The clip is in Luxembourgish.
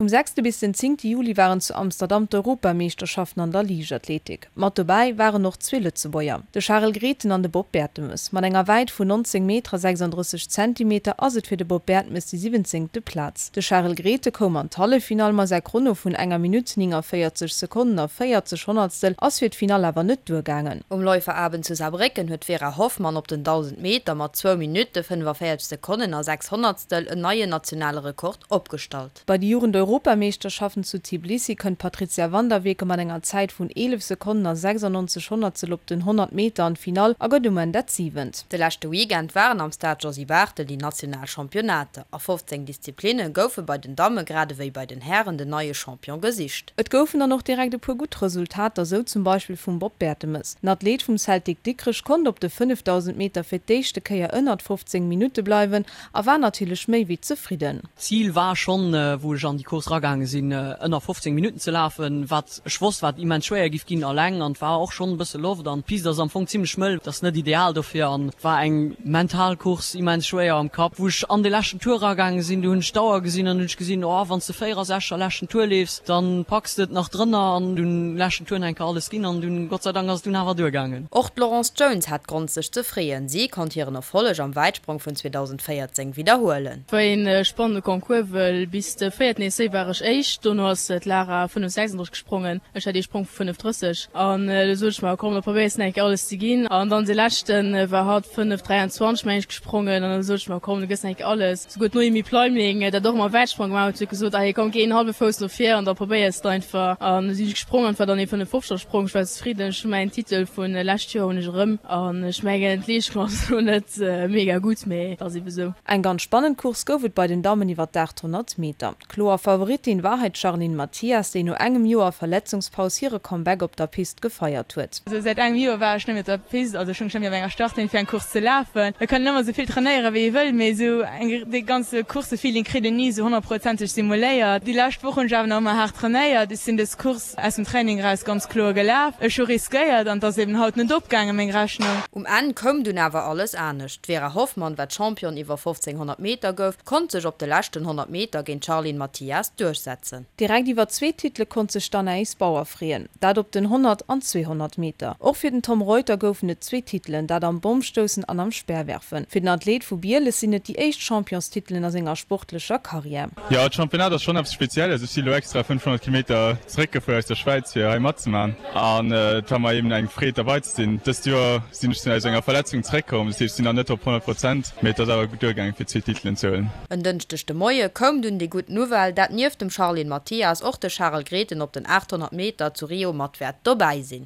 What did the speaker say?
Vum sechste bis den zéngte Juli waren zu Amsterdam d'Europameeschterschaften an der Liichtathletik. Mat dobäi waren och zwee Lëtzebuerger, de Charel Grethen an de Bob Bertemes. Mat enger Wäit vun 19 Meter a 36 Zentimeter ass et fir de Bob Bertemes déi siwwenzéngte Plaz. De Charel Grethen koum an d'Halleffinall, ma säi Chrono vun enger Minutt, 49 Sekonnen a 40 Honnertstel ass fir d'Finall awer net duergaangen. Um Läuferabend zu Saarbrécken huet d'Vera Hoffmann op den 1.000 Meter mat zwou Minutte, 45 Sekonnen a 6 Honnertstel en neien nationale Rekord opgestallt. Bei de Jugend-Europameeschterschaften zu Tbilisi kënnt d'Patrizia van der Weken mat enger Zäit vun 11 Sekonnen a 96 Honnertstel op den 100 Meter an d'Finall a gëtt um Enn dat Siwent. De leschte Weekend waren am Stade Josy Barthel déi national Championnater. A 15 Disziplinne goufe bei den Damme grad ewéi bei den Hären den neie Champion gesicht. Et goufen dann och direkt e puer gutt Resultater, sou zum Beispill vum Bob Bertemes. Den Athlet vum Celtic Dikrech konnt op de 5000 Meter fir d'éischte Kéier ënnert 15 Minutte bleiwen a war natierlech méi wéi zefridden. D'Zil war schonn, wou ech an déi Course eragaange sinn, ënner 15 Minutten ze lafen, wat ech wosst, wat immens schwéier giff ginn alleng an et war och schonn e bësse Loft an d'Pist ass am Fong zimmlech mëll, et ass net ideal dofir an et war eng mental Course, immens schwéier am Kapp. Wou ech an de leschten Tour eragaange sinn, du hunn ech d'Auer gesinn an hunn ech gesinn, oh wann s de 64 leschten Tour leefs, dann packs de et nach drënner an dunn leschten Tour nach eng Kéier alles ginn an dunn Gott sei Dank ass et dunn awer duergaangen. Och d'Laurence Jones hat Grond sech ze freeën. Si konnt hiren Erfolleg am Wäitsprong vun 2014 widderhuelen. War een spannende Concours, wëll bis de véierten Essai war ech éischt, dono ass d'Lara 5,36 gesprongen, ech hat ee Sprong vu 5,30 an du sot ech mer, komm da probéiers de nach eng Kéier alles ze ginn an dann de leschten war hatt 5,23 meng ech gesprongen an da sot ech mer, komm du gëss nach eng Kéier alles. Souguer d'Noémie Pleimling, dat och ëmmer Wäitsprong gemaach huet, huet gesot, allez komm géi een hallwe Fouss no vir an da probéiers de einfach an du sinn ech gesprong an et war dann ee 5,50er Sprong. Ech war zefridden, ech hu mäin Titel vun lescht Joer hunn ech erëm an ech mengen d'Leeschtung ass elo net mega gutt, mee et ass ebe sou. Eng ganz spannend Course gouf et bei den Dammen iwwer d'800 Meter. Kloer Favoritin war hei d'Charline Mathias, déi no engem Joer Verletzungspaus hire Comeback op der Pist gefeiert huet. Also säit engem Joer war ech net méi op der Pist, also ech hunn ech net méi op enger Startlinn fir eng Course ze lafen. Et kann een ëmmer esou vill trainéieren wéi ee wëll, mee esou eng dee ganze Coursefeeling kritt een ni esou honnertprozenteg simuléiert. Déi lescht Woch hunn ech awer nach ëmmer haart trainéiert. Ech sinn dës Course aus dem Training eraus ganz kloer gelaf. Ech hu riskéiert an et ass eben haut net opgaangen, meng Rechnung. Um Enn koum dunn awer alles anescht. D'Vera Hoffmann, wat Championne iwwer 1500 Meter gouf, konnt sech op de leschten 100 Meter géint d'Charline Mathias duerchsetzen. Direkt iwwer zwee Titele konnt sech d'Anaïs Bauer freeën, dat op den 100 an 200 Meter. Och fir den Tom Reuter goufen et zwee Titelen, dat am Bommstoussen an am Speerwerfen. Fir den Athlet vu Bieles sinn et déi éischt Championstitelen a senger sportlecher Karriär. Jo, d'Championnat ass schonn eppes Spezielles. Ech si lo extra 500 Kilometer zeréckgefuer aus der Schwäiz fir hei matzemaachen an et war mer eben eng Freed derbei ze sinn. Dëst Joer sinn ech aus enger Verletzung zeréckkomm, dat heescht ech sinn nach net op 100 Prozent, mee et ass awer gutt duergaangen fir zwee Titelen ze huelen. En Dënschdeg de Moie koum dunn déi gutt Nouvelle, dat nieft dem Charline Mathias och de Charel Grethen op den 800 Meter zu Rio mat wäert dobäi sinn.